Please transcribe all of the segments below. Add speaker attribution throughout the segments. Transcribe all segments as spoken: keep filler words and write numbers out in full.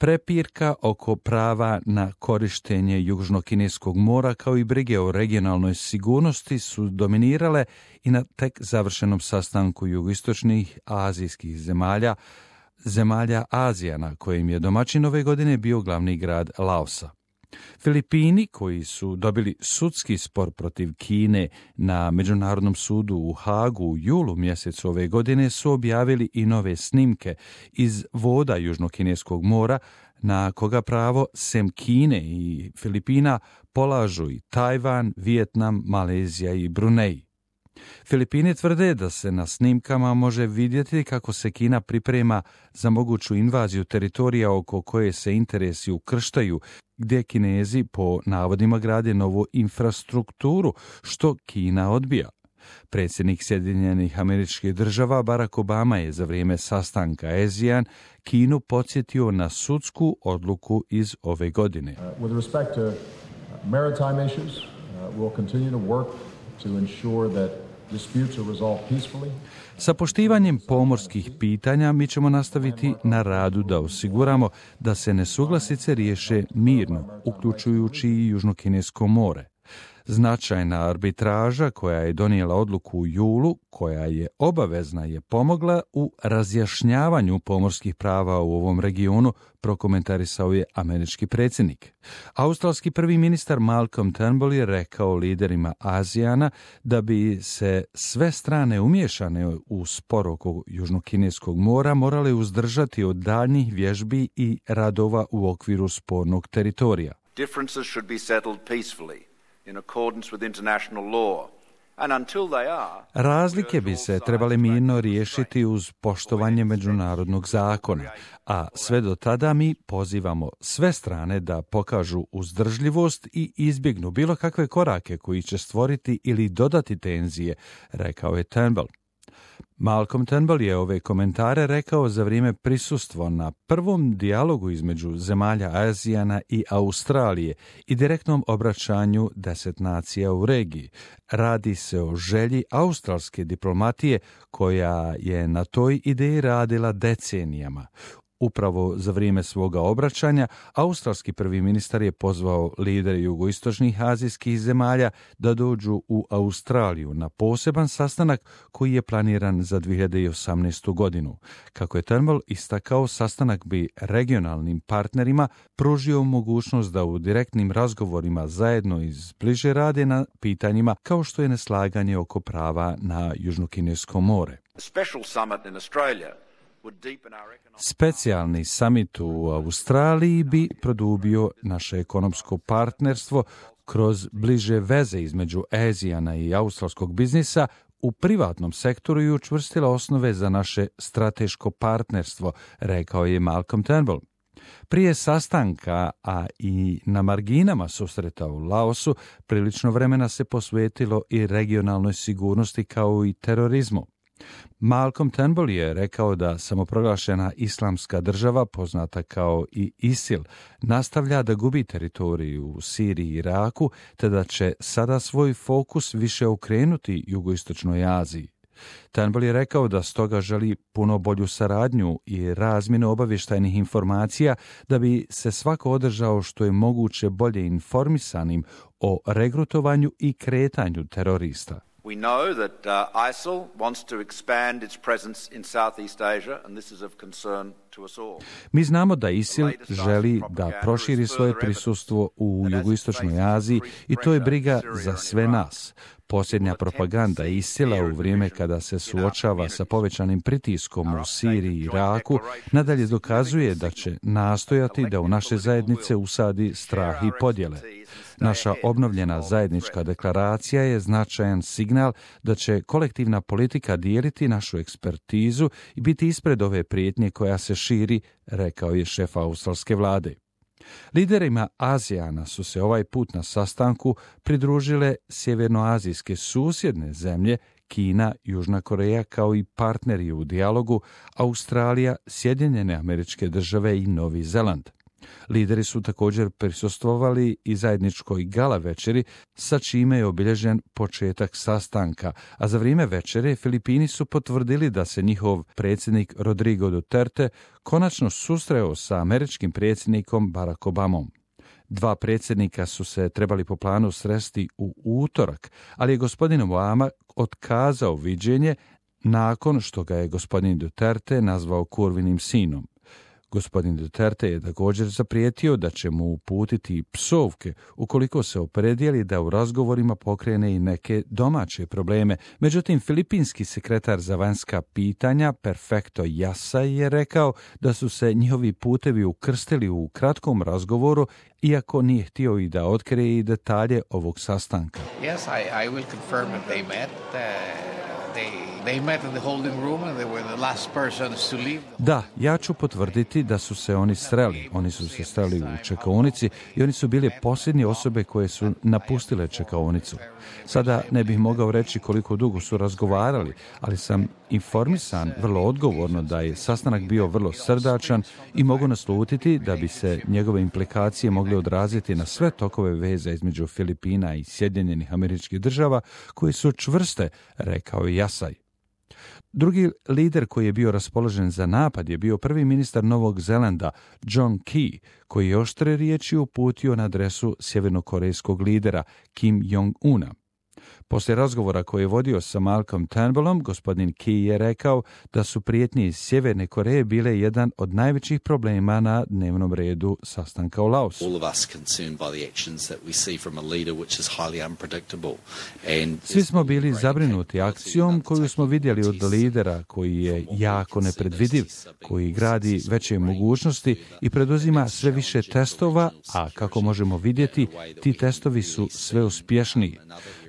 Speaker 1: Prepirka oko prava na korištenje Južnokineskog mora kao i brige o regionalnoj sigurnosti su dominirale i na tek završenom sastanku jugoistočnih azijskih zemalja, zemalja Azijana, kojim je domaćin ove godine bio glavni grad Laosa. Filipini, koji su dobili sudski spor protiv Kine na Međunarodnom sudu u Hagu u julu mjesecu ove godine, su objavili i nove snimke iz voda Južnokineskog mora, na koga pravo sem Kine i Filipina polažu i Tajvan, Vijetnam, Malezija i Brunei. Filipini tvrde da se na snimkama može vidjeti kako se Kina priprema za moguću invaziju teritorija oko koje se interesi ukrštaju, gdje Kinezi po navodima grade novu infrastrukturu, što Kina odbija. Predsjednik Sjedinjenih Američkih Država Barack Obama je za vrijeme sastanka ASEAN Kinu podsjetio na sudsku odluku iz ove godine.
Speaker 2: Uh, with respect to maritime issues, uh, we'll continue to work to ensure that disputes are resolved peacefully.
Speaker 1: Sa poštivanjem pomorskih pitanja mi ćemo nastaviti na radu da osiguramo da se nesuglasice riješe mirno, uključujući i Južnokinesko more. Značajna arbitraža koja je donijela odluku u julu, koja je obavezna, je pomogla u razjašnjavanju pomorskih prava u ovom regionu, prokomentarisao je američki predsjednik. Australski prvi ministar Malcolm Turnbull je rekao liderima ASEANA da bi se sve strane umiješane u spor oko Južnokineskog mora morale uzdržati od daljnjih vježbi i radova u okviru spornog teritorija.
Speaker 3: Differences should be settled peacefully in accordance with international law. And until they are,
Speaker 1: razlike bi se trebale mirno riješiti uz poštovanje međunarodnog zakona, a sve do tada mi pozivamo sve strane da pokažu uzdržljivost i izbjegnu bilo kakve korake koji će stvoriti ili dodati tenzije, rekao je Turnbull. Malcolm Turnbull je ove komentare rekao za vrijeme prisustva na prvom dijalogu između zemalja ASEANA i Australije i direktnom obraćanju deset nacija u regiji. Radi se o želji australske diplomatije koja je na toj ideji radila decenijama. Upravo za vrijeme svoga obraćanja, australski prvi ministar je pozvao lidere jugoistočnih azijskih zemalja da dođu u Australiju na poseban sastanak koji je planiran za dvije hiljade osamnaestu. godinu. Kako je Turnbull istakao, sastanak bi regionalnim partnerima pružio mogućnost da u direktnim razgovorima zajedno izbliže rade na pitanjima kao što je neslaganje oko prava na Južnokinesko more. Specijalni samit u Australiji bi produbio naše ekonomsko partnerstvo kroz bliže veze između ASEANA i australskog biznisa u privatnom sektoru i učvrstila osnove za naše strateško partnerstvo, rekao je Malcolm Turnbull. Prije sastanka, a i na marginama susreta u Laosu, prilično vremena se posvetilo i regionalnoj sigurnosti kao i terorizmu. Malcolm Turnbull je rekao da samoproglašena islamska država, poznata kao i ISIL, nastavlja da gubi teritoriju u Siriji i Iraku, te da će sada svoj fokus više okrenuti jugoistočnoj Aziji. Turnbull je rekao da stoga želi puno bolju saradnju i razmjenu obavještajnih informacija da bi se svako održao što je moguće bolje informisanim o regrutovanju i kretanju terorista.
Speaker 3: We know that uh, ISIL wants to expand its presence in Southeast Asia, and this is of concern to us all.
Speaker 1: Mi znamo da ISIL želi da proširi svoje prisustvo u jugoistočnoj Aziji i to je briga za sve nas. Posljednja propaganda ISIL-a u vrijeme kada se suočava sa povećanim pritiskom u Siriji i Iraku nadalje dokazuje da će nastojati da u naše zajednice usadi strah i podjele. Naša obnovljena zajednička deklaracija je značajan signal da će kolektivna politika dijeliti našu ekspertizu i biti ispred ove prijetnje koja se širi, rekao je šef australske vlade. Liderima ASEANA su se ovaj put na sastanku pridružile sjevernoazijske susjedne zemlje, Kina, Južna Koreja kao i partneri u dijalogu, Australija, Sjedinjene Američke Države i Novi Zeland. Lideri su također prisustvovali i zajedničkoj gala večeri, sa čime je obilježen početak sastanka, a za vrijeme večere Filipini su potvrdili da se njihov predsjednik Rodrigo Duterte konačno susreo sa američkim predsjednikom Barack Obamom. Dva predsjednika su se trebali po planu sresti u utorak, ali je gospodin Obama otkazao viđenje nakon što ga je gospodin Duterte nazvao kurvinim sinom. Gospodin Duterte je također zaprijetio da će mu uputiti psovke ukoliko se opredijeli da u razgovorima pokrene i neke domaće probleme. Međutim, filipinski sekretar za vanjska pitanja Perfecto Yasay je rekao da su se njihovi putevi ukrstili u kratkom razgovoru, iako nije htio i da otkrije i detalje ovog sastanka.
Speaker 4: Yes, I, I will confirm that they met. Uh, they...
Speaker 1: Da, ja ću potvrditi da su se oni sreli. Oni su se sreli u čekaonici i oni su bili posljednje osobe koje su napustile čekaonicu. Sada ne bih mogao reći koliko dugo su razgovarali, ali sam informisan vrlo odgovorno da je sastanak bio vrlo srdačan i mogu naslutiti da bi se njegove implikacije mogle odraziti na sve tokove veza između Filipina i Sjedinjenih Američkih Država, koje su čvrste, rekao je Yasay. Drugi lider koji je bio raspoložen za napad je bio prvi ministar Novog Zelanda, John Key, koji je oštre riječi uputio na adresu sjevernokorejskog lidera Kim Jong-una. Poslije razgovora koji je vodio sa Malcolm Turnbullom, gospodin Key je rekao da su prijetnje iz Sjeverne Koreje bile jedan od najvećih problema na dnevnom redu sastanka u Laosu. Svi smo bili zabrinuti akcijom koju smo vidjeli od lidera koji je jako nepredvidiv, koji gradi veće mogućnosti i preduzima sve više testova, a kako možemo vidjeti, ti testovi su sve uspješniji.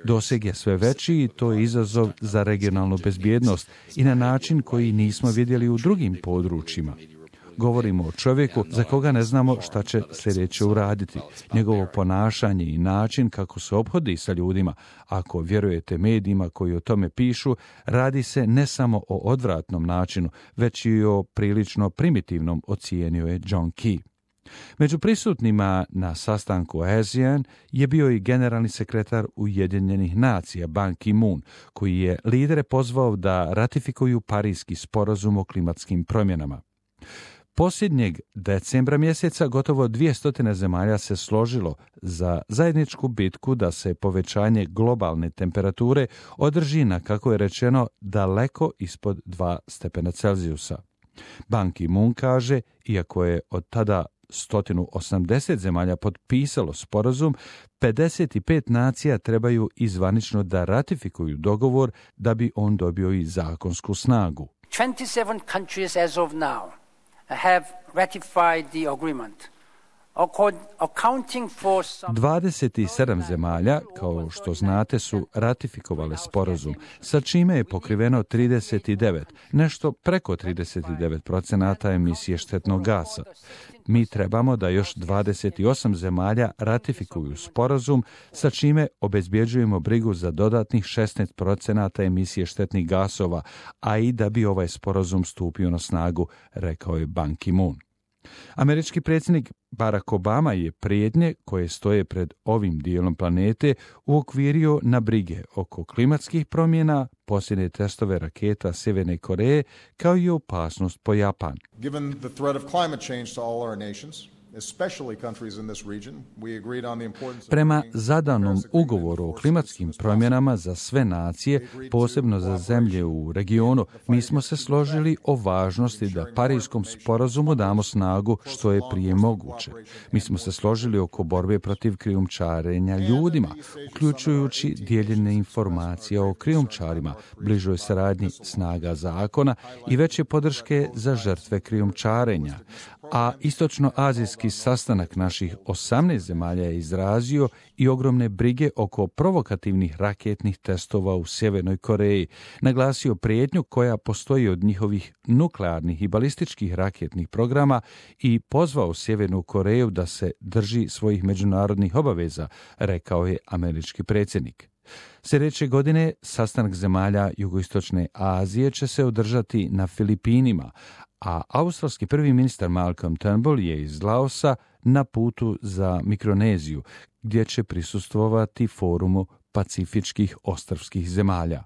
Speaker 1: Doseg je sve veći i to je izazov za regionalnu bezbjednost i na način koji nismo vidjeli u drugim područjima. Govorimo o čovjeku za koga ne znamo šta će sljedeće uraditi. Njegovo ponašanje i način kako se ophodi sa ljudima, ako vjerujete medijima koji o tome pišu, radi se ne samo o odvratnom načinu, već i o prilično primitivnom, ocijenio je John Key. Među prisutnima na sastanku ASEAN je bio i generalni sekretar Ujedinjenih nacija Ban Ki-moon, koji je lidere pozvao da ratifikuju Parijski sporazum o klimatskim promjenama. Posljednjeg decembra mjeseca gotovo dvjesto zemalja se složilo za zajedničku bitku da se povećanje globalne temperature održi na, kako je rečeno, daleko ispod dva stepena Celzijusa. Ban Ki-moon kaže, iako je od tada sto osamdeset zemalja potpisalo sporazum, pedeset pet nacija trebaju izvanično da ratifikuju dogovor da bi on dobio i zakonsku snagu.
Speaker 5: twenty-seven countries as of now have ratified the agreement.
Speaker 1: dvadeset sedam zemalja, kao što znate, su ratifikovale sporazum, sa čime je pokriveno trideset devet, nešto preko trideset devet procenata emisije štetnog gasa. Mi trebamo da još dvadeset osam zemalja ratifikuju sporazum, sa čime obezbjeđujemo brigu za dodatnih šesnaest procenata emisije štetnih gasova, a i da bi ovaj sporazum stupio na snagu, rekao je Ban Ki-moon. Američki predsjednik Barack Obama je prijetnje koje stoje pred ovim dijelom planete uokvirio na brige oko klimatskih promjena, posljednje testove raketa Sjeverne Koreje, kao i opasnost po Japan.
Speaker 2: Given the threat of climate change to all our nations,
Speaker 1: prema zadanom ugovoru o klimatskim promjenama za sve nacije, posebno za zemlje u regionu, mi smo se složili o važnosti da Parijskom sporazumu damo snagu što je prije moguće. Mi smo se složili oko borbe protiv krijumčarenja ljudima, uključujući dijeljenje informacija o krijumčarima, bližoj saradnji snaga zakona i veće podrške za žrtve krijumčarenja. A istočnoazijski sastanak naših osamnaest zemalja je izrazio i ogromne brige oko provokativnih raketnih testova u Sjevernoj Koreji, naglasio prijetnju koja postoji od njihovih nuklearnih i balističkih raketnih programa i pozvao Sjevernu Koreju da se drži svojih međunarodnih obaveza, rekao je američki predsjednik. Sljedeće godine sastanak zemalja Jugoistočne Azije će se održati na Filipinima, a australski prvi ministar Malcolm Turnbull je iz Laosa na putu za Mikroneziju, gdje će prisustvovati forumu pacifičkih ostrvskih zemalja.